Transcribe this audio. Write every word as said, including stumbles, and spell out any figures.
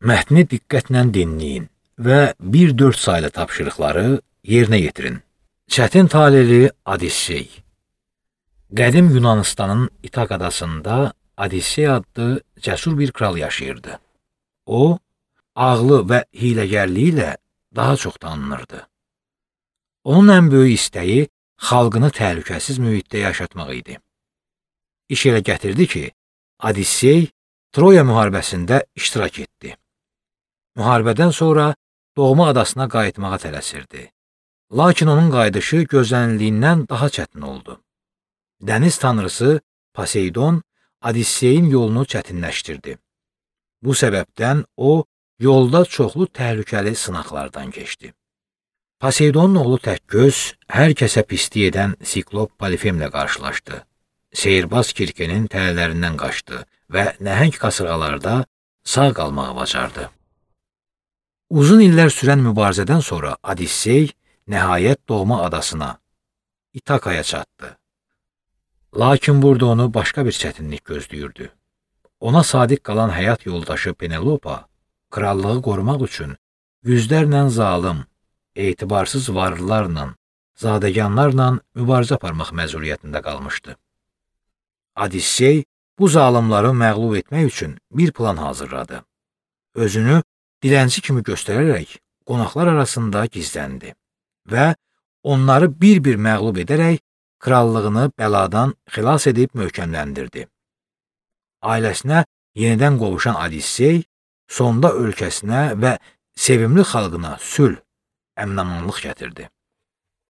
Mətni diqqətlə dinləyin və bir dörd saylı tapşırıqları yerinə yetirin. Çətin taleli Odissey. Qədim Yunanistanın İtak adasında Odissey adlı cəsur bir kral yaşayırdı. O, ağlı və hiləgərliyi ilə daha çox tanınırdı. Onun ən böyük istəyi xalqını təhlükəsiz mühitdə yaşatmaq idi. İş elə gətirdi ki, Odissey Troya müharibəsində iştirak etdi. Müharibədən sonra doğma adasına qayıtmağa tələsirdi. Lakin onun qayıdışı gözlənildiyindən daha çətin oldu. Dəniz tanrısı Poseidon Odisseyin yolunu çətinləşdirdi. Bu səbəbdən o, yolda çoxlu təhlükəli sınaqlardan keçdi. Poseidonun oğlu Təkgöz hər kəsə pislik edən Siklop Polifemlə qarşılaşdı. Seyirbaz Kirkenin tələlərindən qaçdı və nəhəng qasırğalarda sağ qalmağı bacardı. Uzun illər sürən mübarizədən sonra Odissey nəhayət doğma adasına, İtakaya çatdı. Lakin burada onu başqa bir çətinlik gözləyirdi. Ona sadiq qalan həyat yoldaşı Penelopa, krallığı qorumaq üçün yüzlərlə zalım, etibarsız varlılarla, zadəganlarla mübarizə aparmaq məcburiyyətində qalmışdı. Odissey bu zalımları məğlub etmək üçün bir plan hazırladı. Özünü dilənçi kimi göstərərək qonaqlar arasında gizləndi və onları bir-bir məğlub edərək krallığını bəladan xilas edib möhkəmləndirdi. Ailəsinə yenidən qovuşan Odissey sonda ölkəsinə və sevimli xalqına sülh, əmin-amanlıq gətirdi.